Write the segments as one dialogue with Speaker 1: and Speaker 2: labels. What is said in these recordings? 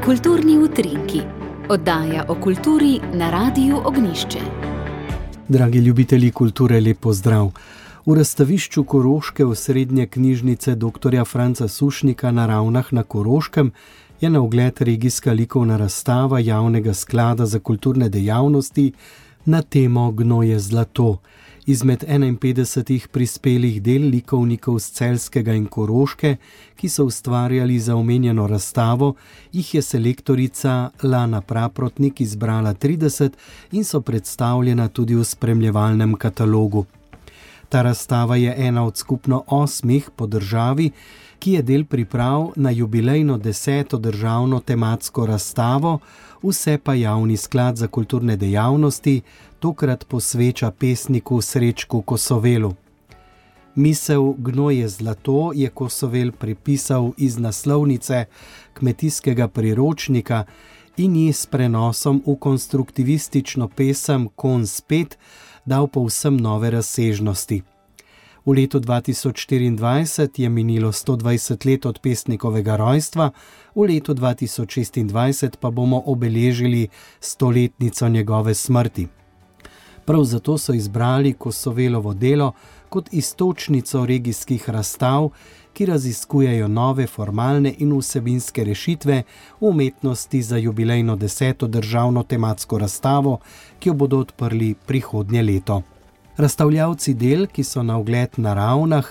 Speaker 1: Kulturni utrinki, oddaja o kulturi na Radiu Ognjišče.
Speaker 2: Dragi ljubitelji kulture, lep pozdrav. V razstavišču Koroške osrednje knjižnice dr. Franca Sušnika na Ravnah na Koroškem je na ogled regijska likovna razstava Javnega sklada za kulturne dejavnosti na temo Gnoj je zlato. Izmed 51 prispelih del likovnikov z Celjskega in Koroške, ki so ustvarjali za omenjeno razstavo, jih je selektorica Lana Praprotnik izbrala 30 in so predstavljena tudi v spremljevalnem katalogu. Ta razstava je ena od skupno 8 po državi, ki je del priprav na jubilejno 10. državno tematsko razstavo, vse pa Javni sklad za kulturne dejavnosti tokrat posveča pesniku Srečku Kosovelu. Misel Gnoj je zlato je Kosovel prepisal iz naslovnice kmetijskega priročnika in ji s prenosom v konstruktivistično pesem Konj spet dal povsem nove razsežnosti. V letu 2024 je minilo 120 let od pesnikovega rojstva, v letu 2026 pa bomo obeležili 100-letnico njegove smrti. Prav zato so izbrali Kosovelovo delo kot iztočnico regijskih razstav, ki raziskujejo nove formalne in vsebinske rešitve v umetnosti za jubilejno 10. državno tematsko razstavo, ki jo bodo odprli prihodnje leto. Razstavljavci del, ki so na ogled na Ravnah,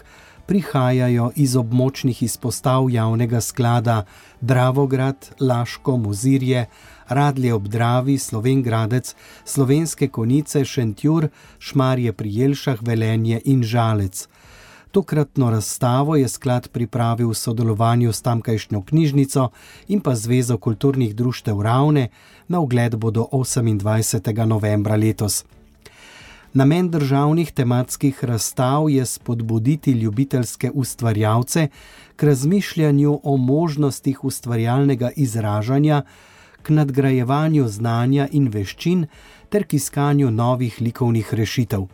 Speaker 2: prihajajo iz območnih izpostav Javnega sklada Dravograd, Laško, Mozirje, Radlje ob Dravi, Slovenj Gradec, Slovenske Konjice, Šentjur, Šmarje pri Jelšah, Velenje in Žalec. Tokratno razstavo je sklad pripravil v sodelovanju s tamkajšnjo knjižnico in pa Zvezo kulturnih društev Ravne, na ogled bodo 28. novembra letos. Namen državnih tematskih razstav je spodbuditi ljubiteljske ustvarjalce k razmišljanju o možnostih ustvarjalnega izražanja, k nadgrajevanju znanja in veščin ter k iskanju novih likovnih rešitev.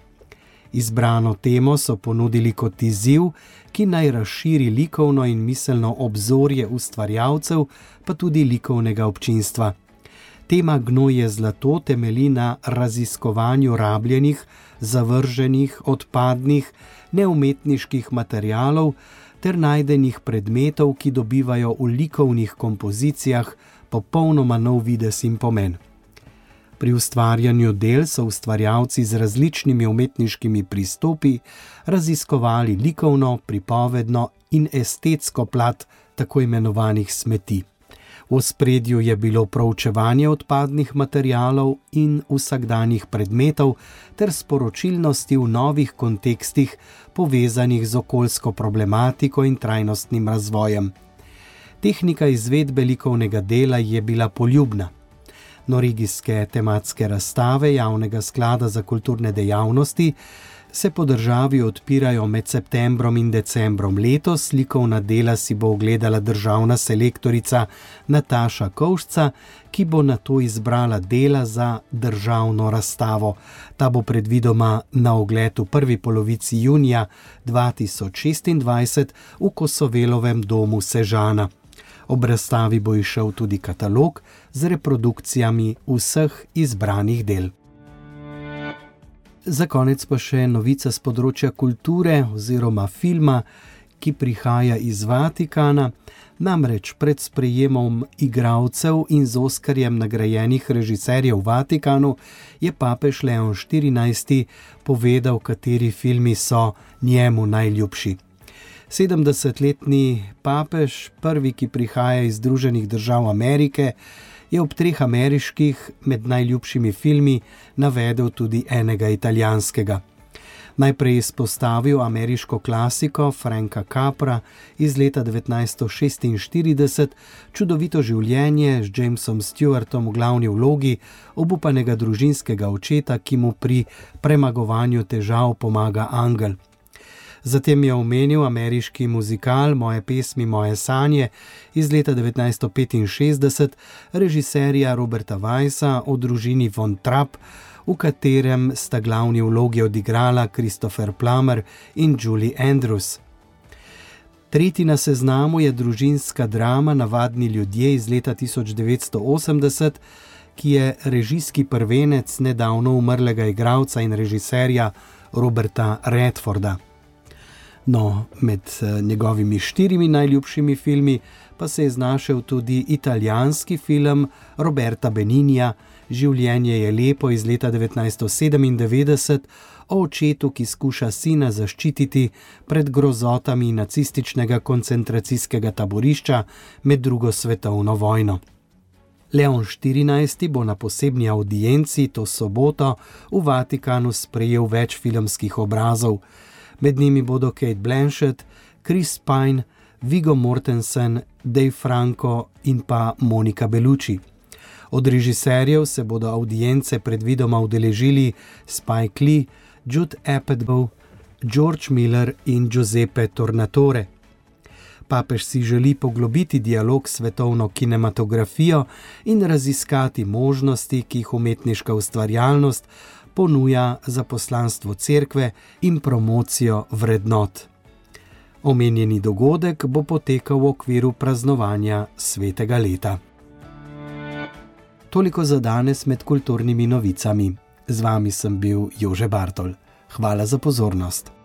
Speaker 2: Izbrano temo so ponudili kot izziv, ki naj razširi likovno in miselno obzorje ustvarjalcev, pa tudi likovnega občinstva. Tema Gnoj je zlato temelji na raziskovanju rabljenih, zavrženih, odpadnih, neumetniških materialov ter najdenih predmetov, ki dobivajo v likovnih kompozicijah popolnoma nov videz in pomen. Pri ustvarjanju del so ustvarjalci z različnimi umetniškimi pristopi raziskovali likovno, pripovedno in estetsko plat tako imenovanih smeti. V ospredju je bilo proučevanje odpadnih materialov in vsakdanjih predmetov ter sporočilnosti v novih kontekstih povezanih z okoljsko problematiko in trajnostnim razvojem. Tehnika izvedbe likovnega dela je bila poljubna. Regijske tematske razstave Javnega sklada za kulturne dejavnosti se po državi odpirajo med septembrom in decembrom letos. Likovna dela si bo ogledala državna selektorica Nataša Kovšca, ki bo nato izbrala dela za državno razstavo. Ta bo predvidoma na ogled v prvi polovici junija 2026 v Kosovelovem domu Sežana. Ob razstavi bo izšel tudi katalog z reprodukcijami vseh izbranih del. Za konec pa še novica z področja kulture oziroma filma, ki prihaja iz Vatikana. Namreč pred sprejemom igralcev in z Oskarjem nagrajenih režiserjev v Vatikanu je papež Leon XIV povedal, kateri filmi so njemu najljubši. 70-letni papež, prvi, ki prihaja iz Združenih držav Amerike, je ob 3 ameriških med najljubšimi filmi navedel tudi enega italijanskega. Najprej izpostavil ameriško klasiko Franka Capra iz leta 1946, Čudovito življenje z Jamesom Stewartom v glavni vlogi obupanega družinskega očeta, ki mu pri premagovanju težav pomaga angel. Zatem je omenil ameriški muzikal Moje pesmi, moje sanje iz leta 1965 režiserja Roberta Weissa o družini Von Trapp, v katerem sta glavni vlogi odigrala Christopher Plummer in Julie Andrews. Tretji na seznamu je družinska drama Navadni ljudje iz leta 1980, ki je režijski prvenec nedavno umrlega igralca in režiserja Roberta Redforda. No, med njegovimi 4 najljubšimi filmi pa se je znašel tudi italijanski film Roberta Beninija Življenje je lepo iz leta 1997 o očetu, ki skuša sina zaščititi pred grozotami nacističnega koncentracijskega taborišča med drugo svetovno vojno. Leon XIV bo na posebni avdienci to soboto v Vatikanu sprejel več filmskih obrazov. Med njimi bodo Kate Blanchett, Chris Pine, Viggo Mortensen, Dave Franco in pa Monica Bellucci. Od režiserjev se bodo avdience predvidoma udeležili Spike Lee, Judd Apatow, George Miller in Giuseppe Tornatore. Papež si želi poglobiti dialog s svetovno kinematografijo in raziskati možnosti, ki jih umetniška ustvarjalnost ponuja za poslanstvo cerkve in promocijo vrednot. Omenjeni dogodek bo potekal v okviru praznovanja svetega leta. Toliko za danes med kulturnimi novicami. Z vami sem bil Jože Bartol. Hvala za pozornost.